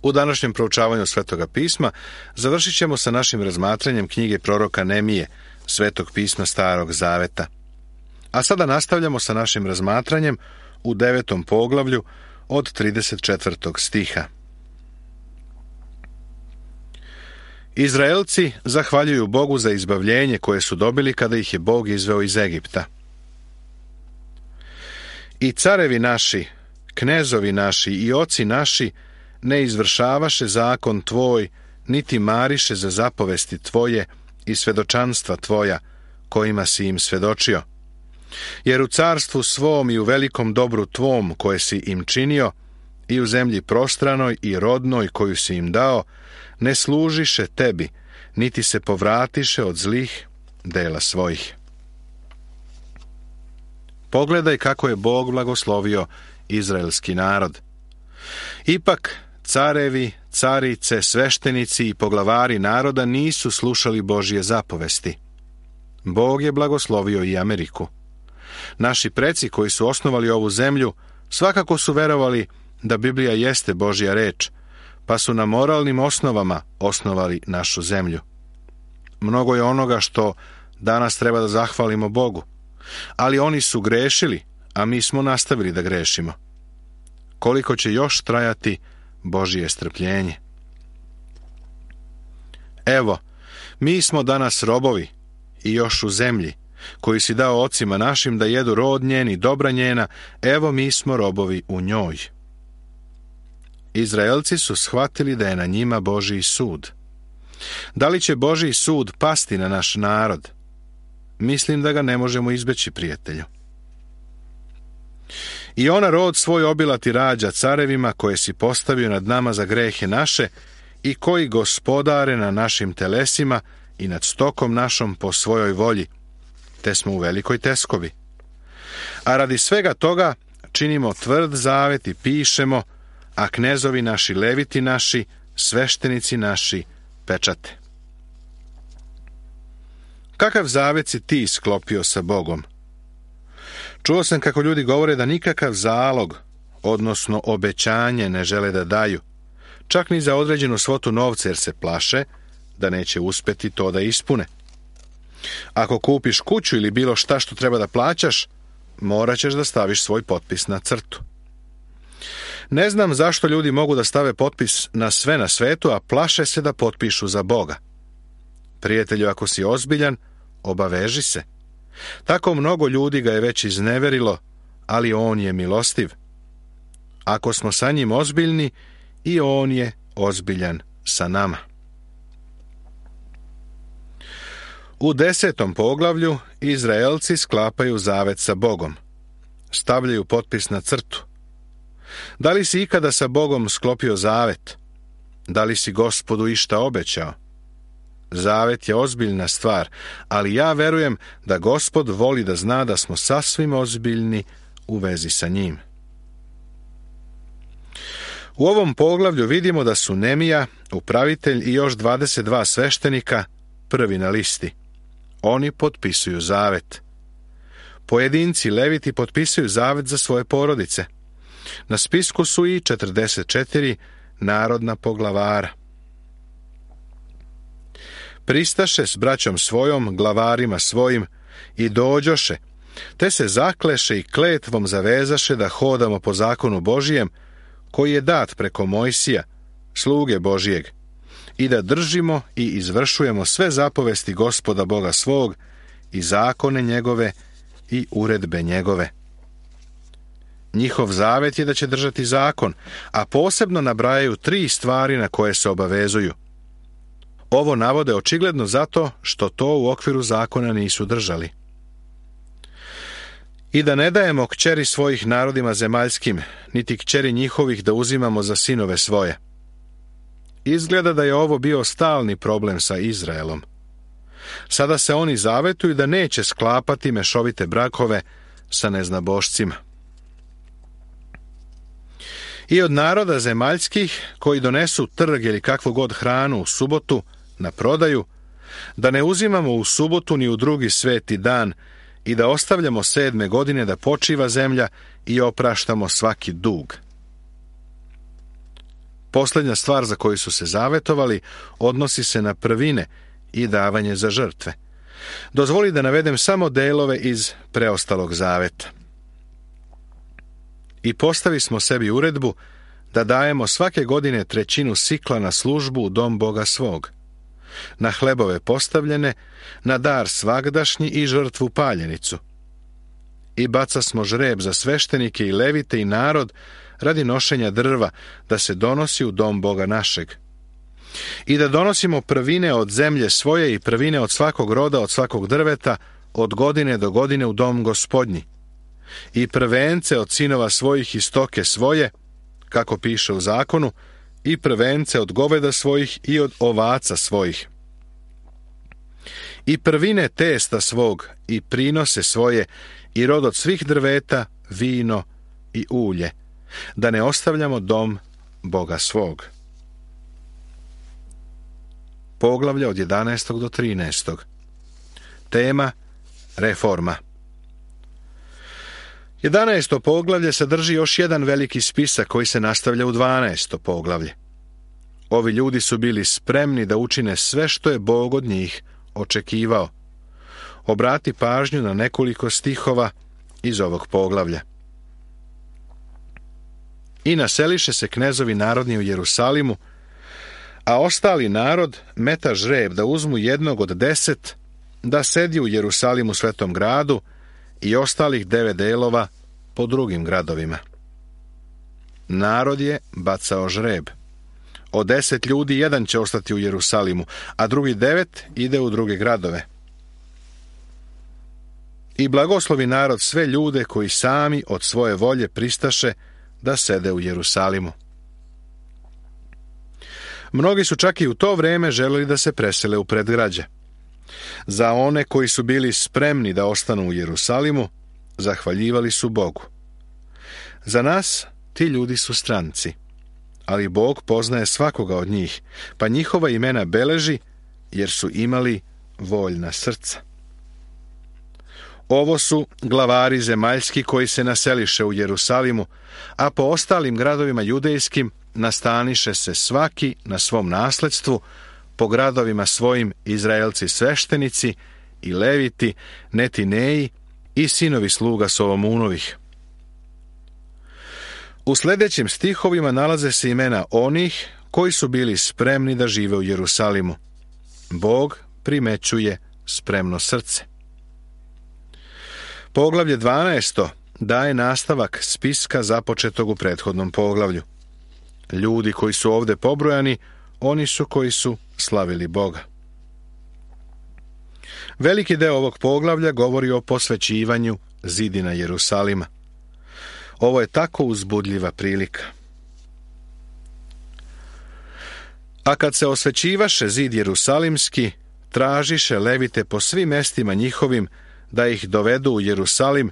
U današnjem proučavanju Svetoga pisma završit ćemo sa našim razmatranjem knjige proroka Nemije, Svetog pisma Starog Zaveta. A sada nastavljamo sa našim razmatranjem u 9. poglavlju od 34. stiha. Izraelci zahvaljuju Bogu za izbavljenje koje su dobili kada ih je Bog izveo iz Egipta. I carevi naši, knezovi naši i oci naši ne izvršavaše zakon tvoj, niti mariše za zapovesti tvoje i svedočanstva tvoja, kojima si im svedočio. Jer u carstvu svom i u velikom dobru tvom koje si im činio, i u zemlji prostranoj i rodnoj koju si im dao, ne služiše tebi, niti se povratiše od zlih dela svojih. Pogledaj kako je Bog blagoslovio izraelski narod. Ipak carevi, carice, sveštenici i poglavari naroda nisu slušali Božje zapovesti. Bog je blagoslovio i Ameriku. Naši preci koji su osnovali ovu zemlju svakako su verovali da Biblija jeste Božja reč, pa su na moralnim osnovama osnovali našu zemlju. Mnogo je onoga što danas treba da zahvalimo Bogu, ali oni su grešili, a mi smo nastavili da grešimo. Koliko će još trajati Božje strpljenje? Evo, mi smo danas robovi i još u zemlji, koju si dao ocima našim da jedu rod njen i dobra njena, evo mi smo robovi u njoj. Izraelci su shvatili da je na njima Božji sud. Da li će Božji sud pasti na naš narod? Mislim da ga ne možemo izbeći, prijatelju. I ona rod svoj obilati rađa carevima koje si postavio nad nama za grehe naše i koji gospodare na našim telesima i nad stokom našom po svojoj volji, te smo u velikoj teskobi. A radi svega toga činimo tvrd zavet i pišemo, a knezovi naši, leviti naši, sveštenici naši pečate. Kakav zavet si ti sklopio sa Bogom? Čuo sam kako ljudi govore da nikakav zalog, odnosno obećanje, ne žele da daju, čak ni za određenu svotu novca, jer se plaše da neće uspeti to da ispune. Ako kupiš kuću ili bilo šta što treba da plaćaš, morat ćeš da staviš svoj potpis na crtu. Ne znam zašto ljudi mogu da stave potpis na sve na svetu, a plaše se da potpišu za Boga. Prijatelju, ako si ozbiljan, obaveži se. Tako mnogo ljudi ga je već izneverilo, ali on je milostiv. Ako smo sa njim ozbiljni, i on je ozbiljan sa nama. U 10. poglavlju Izraelci sklapaju zavet sa Bogom. Stavljaju potpis na crtu. Da li si ikada sa Bogom sklopio zavet? Da li si Gospodu išta obećao? Zavet je ozbiljna stvar, ali ja verujem da Gospod voli da zna da smo sasvim ozbiljni u vezi sa njim. U ovom poglavlju vidimo da su Nemija, upravitelj i još 22 sveštenika prvi na listi. Oni potpisuju zavet. Pojedinci leviti potpisuju zavet za svoje porodice. Na spisku su i 44 narodna poglavara. Pristaše s braćom svojom, glavarima svojim, i dođoše, te se zakleše i kletvom zavezaše da hodamo po zakonu Božijem, koji je dat preko Mojsija, sluge Božijeg, i da držimo i izvršujemo sve zapovesti Gospoda Boga svog i zakone njegove i uredbe njegove. Njihov zavet je da će držati zakon, a posebno nabrajaju 3 stvari na koje se obavezuju. Ovo navode očigledno zato što to u okviru zakona nisu držali. I da ne dajemo kćeri svojih narodima zemaljskim, niti kćeri njihovih da uzimamo za sinove svoje. Izgleda da je ovo bio stalni problem sa Izraelom. Sada se oni zavetuju da neće sklapati mešovite brakove sa neznabošcima. I od naroda zemaljskih koji donesu trg ili kakvu god hranu u subotu na prodaju, da ne uzimamo u subotu ni u drugi sveti dan i da ostavljamo 7. godine da počiva zemlja i opraštamo svaki dug. Posljednja stvar za koju su se zavetovali odnosi se na prvine i davanje za žrtve. Dozvoli da navedem samo delove iz preostalog zaveta. I postavi smo sebi uredbu da dajemo svake godine 1/3 sikla na službu u dom Boga svog, na hlebove postavljene, na dar svagdašnji i žrtvu paljenicu. I baca smo žreb za sveštenike i levite i narod radi nošenja drva da se donosi u dom Boga našeg. I da donosimo prvine od zemlje svoje i prvine od svakog roda, od svakog drveta, od godine do godine u dom Gospodnji. I prvence od sinova svojih i stoke svoje, kako piše u zakonu, i prvence od goveda svojih i od ovaca svojih. I prvine testa svog i prinose svoje i rod od svih drveta, vino i ulje, da ne ostavljamo dom Boga svog. Poglavlje od 11. do 13. Tema reforma. 11. poglavlje sadrži još jedan veliki spisak koji se nastavlja u 12. poglavlje. Ovi ljudi su bili spremni da učine sve što je Bog od njih očekivao. Obrati pažnju na nekoliko stihova iz ovog poglavlja. I naseliše se knezovi narodni u Jerusalimu, a ostali narod meta žreb da uzmu jednog od 10, da sedi u Jerusalimu svetom gradu i ostalih 9 delova po drugim gradovima. Narod je bacao žreb. Od 10 ljudi 1 će ostati u Jerusalimu, a drugi 9 ide u druge gradove. I blagoslovi narod sve ljude koji sami od svoje volje pristaše da sede u Jerusalimu. Mnogi su čak i u to vreme želeli da se presele u predgrađe. Za one koji su bili spremni da ostanu u Jerusalimu, zahvaljivali su Bogu. Za nas ti ljudi su stranci, ali Bog poznaje svakoga od njih, pa njihova imena beleži, jer su imali voljna srca. Ovo su glavari zemaljski koji se naseliše u Jerusalimu, a po ostalim gradovima judejskim nastaniše se svaki na svom nasledstvu, po gradovima svojim Izraelci sveštenici i leviti, netineji i sinovi sluga Solomunovih. U sljedećim stihovima nalaze se imena onih koji su bili spremni da žive u Jerusalimu. Bog primećuje spremno srce. Poglavlje 12. daje nastavak spiska započetog u prethodnom poglavlju. Ljudi koji su ovdje pobrojani, oni su koji su slavili Boga. Veliki deo ovog poglavlja govori o posvećivanju zidina Jerusalima. Ovo je tako uzbudljiva prilika. A kad se osvećivaše zid Jerusalimski, tražiše levite po svim mestima njihovim da ih dovedu u Jerusalim,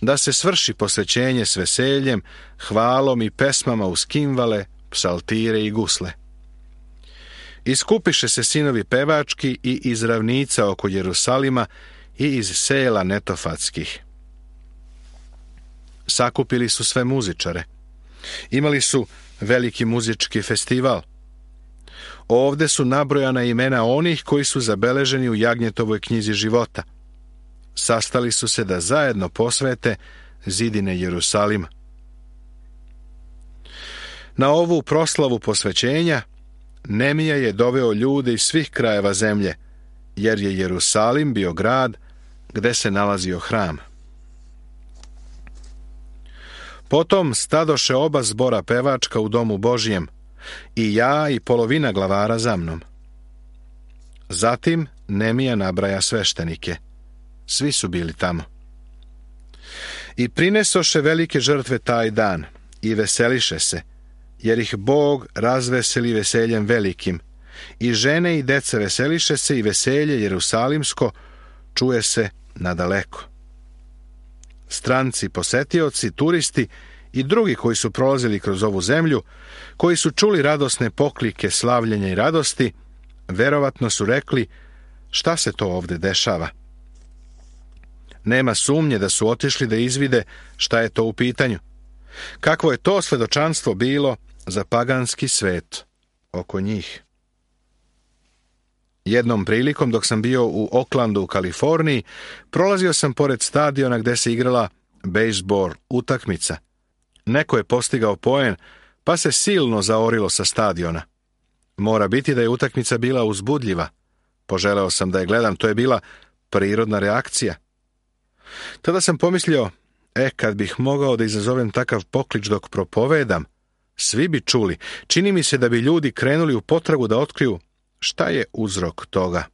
da se svrši posvećenje s veseljem, hvalom i pesmama uz kimvale, psaltire i gusle. Iskupiše se sinovi pevački i iz ravnica oko Jerusalima i iz sela netofatskih. Sakupili su sve muzičare. Imali su veliki muzički festival. Ovde su nabrojana imena onih koji su zabeleženi u Jagnjetovoj knjizi života. Sastali su se da zajedno posvete zidine Jerusalima. Na ovu proslavu posvećenja Nemija je doveo ljude iz svih krajeva zemlje, jer je Jerusalim bio grad gde se nalazio hram. Potom stadoše oba zbora pevačka u domu Božjem, i ja i polovina glavara za mnom. Zatim Nemija nabraja sveštenike. Svi su bili tamo. I prinesoše velike žrtve taj dan i veseliše se, jer ih Bog razveseli veseljem velikim. I žene i deca veseliše se i veselje jerusalimsko čuje se nadaleko. Stranci, posetioci, turisti i drugi koji su prolazili kroz ovu zemlju, koji su čuli radosne poklike slavljenja i radosti, verovatno su rekli: šta se to ovde dešava? Nema sumnje da su otišli da izvide šta je to u pitanju. Kakvo je to svedočanstvo bilo za paganski svet oko njih. Jednom prilikom, dok sam bio u Oaklandu u Kaliforniji, prolazio sam pored stadiona gde se igrala bejzbol utakmica. Neko je postigao poen, pa se silno zaorilo sa stadiona. Mora biti da je utakmica bila uzbudljiva. Poželeo sam da je gledam, to je bila prirodna reakcija. Tada sam pomislio, kad bih mogao da izazovem takav poklič dok propovedam, svi bi čuli. Čini mi se da bi ljudi krenuli u potragu da otkriju šta je uzrok toga.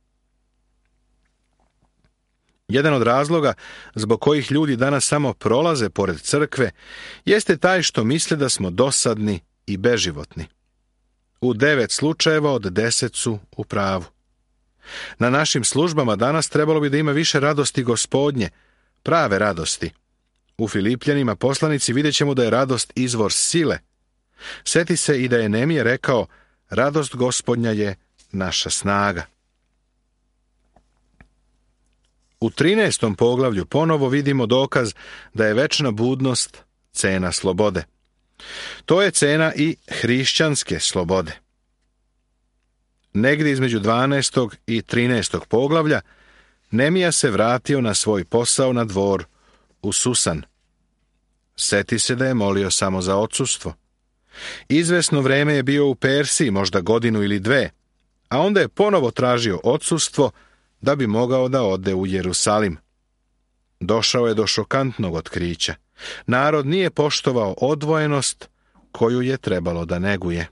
Jedan od razloga zbog kojih ljudi danas samo prolaze pored crkve jeste taj što misle da smo dosadni i beživotni. U 9 slučajeva od 10 su u pravu. Na našim službama danas trebalo bi da ima više radosti Gospodnje, prave radosti. U Filipljanima poslanici vidjet ćemo da je radost izvor sile. Seti se i da je Nemija rekao, radost Gospodnja je naša snaga. U 13. poglavlju ponovo vidimo dokaz da je večna budnost cena slobode. To je cena i hrišćanske slobode. Negdje između 12. i 13. poglavlja Nemija se vratio na svoj posao na dvor u Susan. Seti se da je molio samo za odsustvo. Izvesno vreme je bio u Persiji, možda godinu ili 2, a onda je ponovo tražio odsustvo da bi mogao da ode u Jerusalim. Došao je do šokantnog otkrića. Narod nije poštovao odvojenost koju je trebalo da neguje.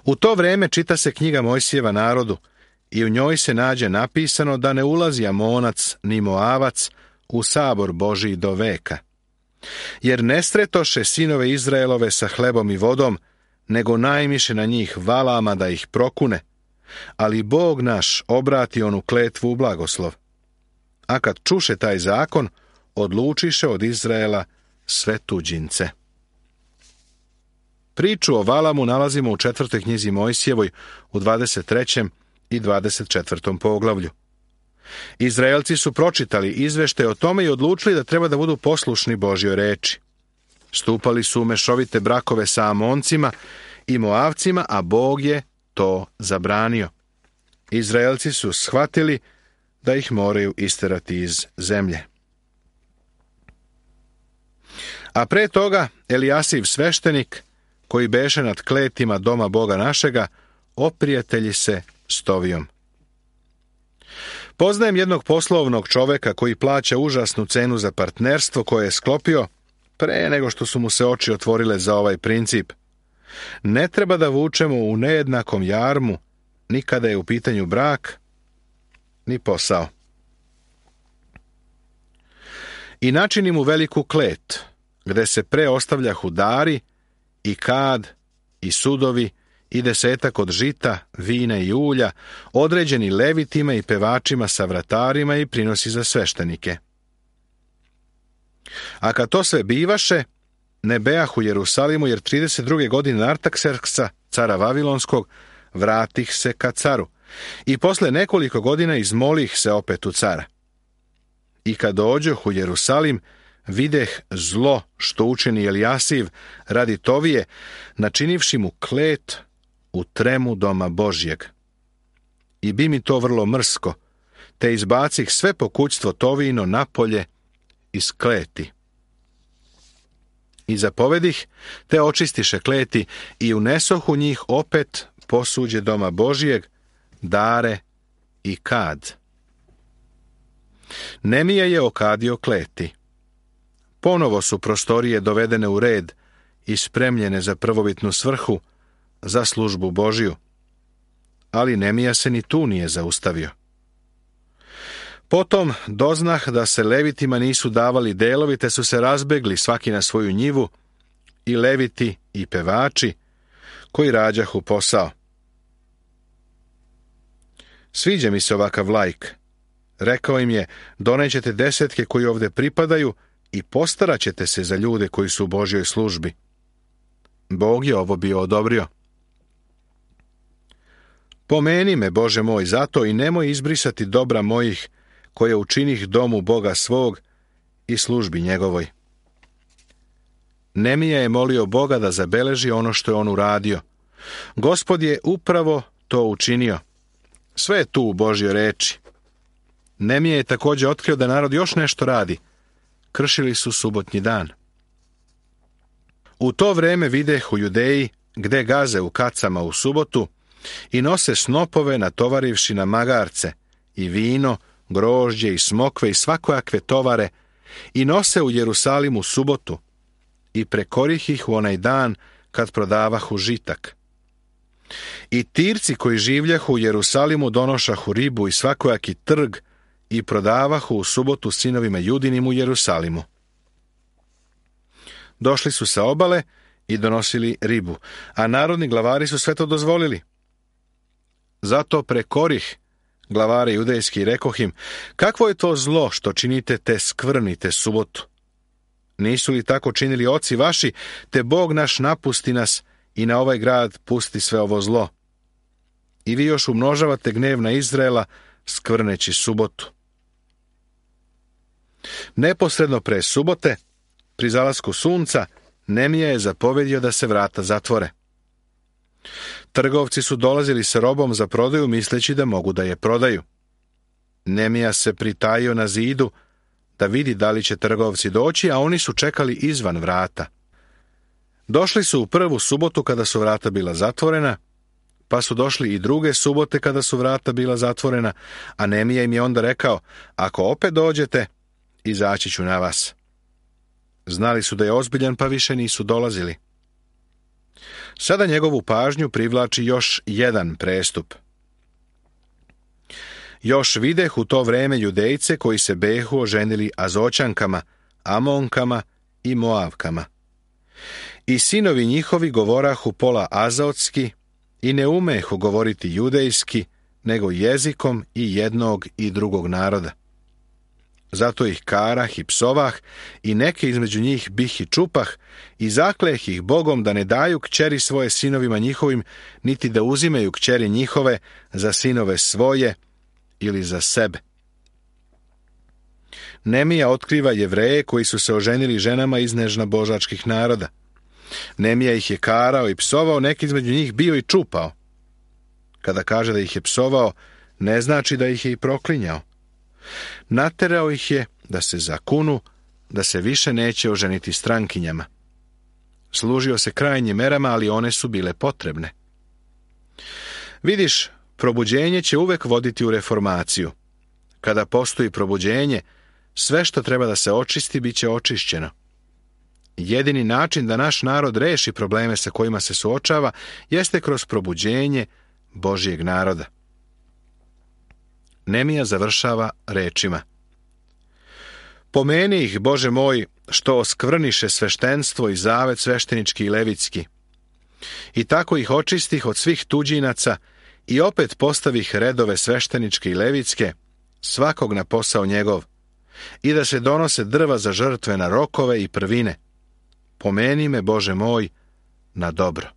U to vreme čita se knjiga Mojsijeva narodu i u njoj se nađe napisano da ne ulazi Amonac ni Moavac u sabor Božiji do veka. Jer ne stretoše sinove Izraelove sa hlebom i vodom, nego najmiše na njih valama da ih prokune, ali Bog naš obrati onu kletvu u blagoslov. A kad čuše taj zakon, odlučiše od Izraela sve tuđince. Priču o Valamu nalazimo u 4. knjizi Mojsijevoj u 23. i 24. poglavlju. Izraelci su pročitali izveštaj o tome i odlučili da treba da budu poslušni Božjoj reči. Stupali su u mešovite brakove sa Amoncima i Moavcima, a Bog je to zabranio. Izraelci su shvatili da ih moraju isterati iz zemlje. A pre toga Elijasiv sveštenik, koji beše nad kletima doma Boga našega, oprijatelji se s Tovijom. Poznajem jednog poslovnog čoveka koji plaća užasnu cenu za partnerstvo koje je sklopio pre nego što su mu se oči otvorile za ovaj princip. Ne treba da vučemo u nejednakom jarmu ni kada je u pitanju brak, ni posao. I načini mu veliku klet, gde se pre ostavljahu dari, i kad, i sudovi, i 10 od žita, vina i ulja, određeni levitima i pevačima sa vratarima i prinosi za sveštenike. A kad to sve bivaše, ne beah u Jerusalimu, jer 32. godine Artakserksa, cara Vavilonskog, vratih se ka caru, i posle nekoliko godina izmolih se opet u cara. I kad dođoh u Jerusalim, videh zlo što učini Elijasiv radi Tovije, načinivši mu klet u tremu doma Božjeg. I bi mi to vrlo mrsko, te izbacih sve pokućstvo Tovijino napolje iz kleti. I zapovedih, te očistiše kleti i unesoh u njih opet posuđe doma Božjeg, dare i kad. Nemija je okadio kleti. Ponovo su prostorije dovedene u red i spremljene za prvobitnu svrhu, za službu Božju. Ali Nemija se ni tu nije zaustavio. Potom doznah da se levitima nisu davali delovi, te su se razbegli svaki na svoju njivu, i leviti i pevači, koji rađahu posao. Sviđa mi se ovakav laik. Rekao im je, donećete 10 koji ovde pripadaju i postarat ćete se za ljude koji su u Božjoj službi. Bog je ovo bio odobrio. Pomeni me, Bože moj, zato i nemoj izbrisati dobra mojih, koje učinih domu Boga svog i službi njegovoj. Nemija je molio Boga da zabeleži ono što je on uradio. Gospod je upravo to učinio. Sve je tu u Božjoj reči. Nemija je također otkrio da narod još nešto radi. Kršili su subotnji dan. U to vreme videh u Judeji, gde gaze u kacama u subotu, i nose snopove natovarivši na magarce, i vino, grožđe i smokve i svakojakve tovare, i nose u Jerusalimu subotu, i prekorih ih u onaj dan kad prodavahu žitak. I Tirci koji življahu u Jerusalimu donošahu ribu i svakojaki trg i prodavahu u subotu sinovima Judinim u Jerusalimu. Došli su sa obale i donosili ribu, a narodni glavari su sve to dozvolili. Zato prekorih glavare judejski i rekoh im, kakvo je to zlo što činite te skvrnite subotu? Nisu li tako činili oci vaši, te Bog naš napusti nas i na ovaj grad pusti sve ovo zlo? I vi još umnožavate gnev na Izraela, skvrneći subotu. Neposredno pre subote, pri zalasku sunca, Nemija je zapovedio da se vrata zatvore. Trgovci su dolazili sa robom za prodaju misleći da mogu da je prodaju. Nemija se pritajio na zidu da vidi da li će trgovci doći, a oni su čekali izvan vrata. Došli su u prvu subotu kada su vrata bila zatvorena, pa su došli i druge subote kada su vrata bila zatvorena, a Nemija im je onda rekao, ako opet dođete, izaći ću na vas. Znali su da je ozbiljan, pa više nisu dolazili. Sada njegovu pažnju privlači još jedan prestup. Još videh u to vreme Judejce koji se behu oženili Azoćankama, Amonkama i Moavkama. I sinovi njihovi govorahu pola azotski i ne umehu govoriti judejski, nego jezikom i jednog i drugog naroda. Zato ih karah i psovah i neke između njih bih i čupah i zakleh ih Bogom da ne daju kćeri svoje sinovima njihovim, niti da uzimaju kćeri njihove za sinove svoje ili za sebe. Nemija otkriva Jevreje koji su se oženili ženama iz nežna-božačkih naroda. Nemija ih je karao i psovao, neki između njih bio i čupao. Kada kaže da ih je psovao, ne znači da ih je i proklinjao. Naterao ih je da se zakunu, da se više neće oženiti strankinjama. Služio se krajnjim merama, ali one su bile potrebne. Vidiš, probuđenje će uvek voditi u reformaciju. Kada postoji probuđenje, sve što treba da se očisti, bit će očišćeno. Jedini način da naš narod reši probleme sa kojima se suočava, jeste kroz probuđenje Božjeg naroda. Nemija završava rečima. Pomeni ih, Bože moj, što oskvrniše sveštenstvo i zavet sveštenički i levitski. I tako ih očistih od svih tuđinaca i opet postavih redove svešteničke i levitske, svakog na posao njegov, i da se donose drva za žrtve na rokove i prvine. Pomeni me, Bože moj, na dobro.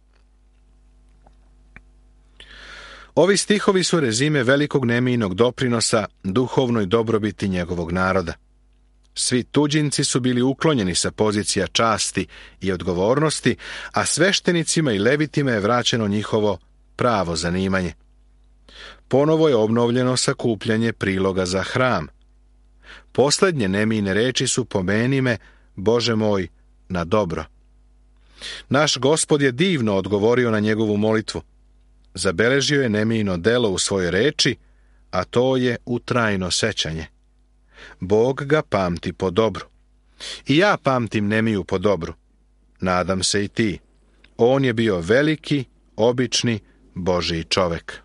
Ovi stihovi su rezime velikog Nemijinog doprinosa duhovnoj dobrobiti njegovog naroda. Svi tuđinci su bili uklonjeni sa pozicija časti i odgovornosti, a sveštenicima i levitima je vraćeno njihovo pravo zanimanje. Ponovo je obnovljeno sakupljanje priloga za hram. Poslednje Nemijine reči su pomeni me, Bože moj, na dobro. Naš Gospod je divno odgovorio na njegovu molitvu. Zabeležio je Nemijino delo u svojoj reči, a to je u trajno sećanje. Bog ga pamti po dobru. I ja pamtim Nemiju po dobru. Nadam se i ti. On je bio veliki, obični, Božji čovek.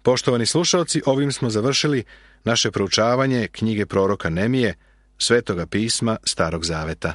Poštovani slušalci, ovim smo završili naše proučavanje knjige proroka Nemije, Svetoga pisma Starog zaveta.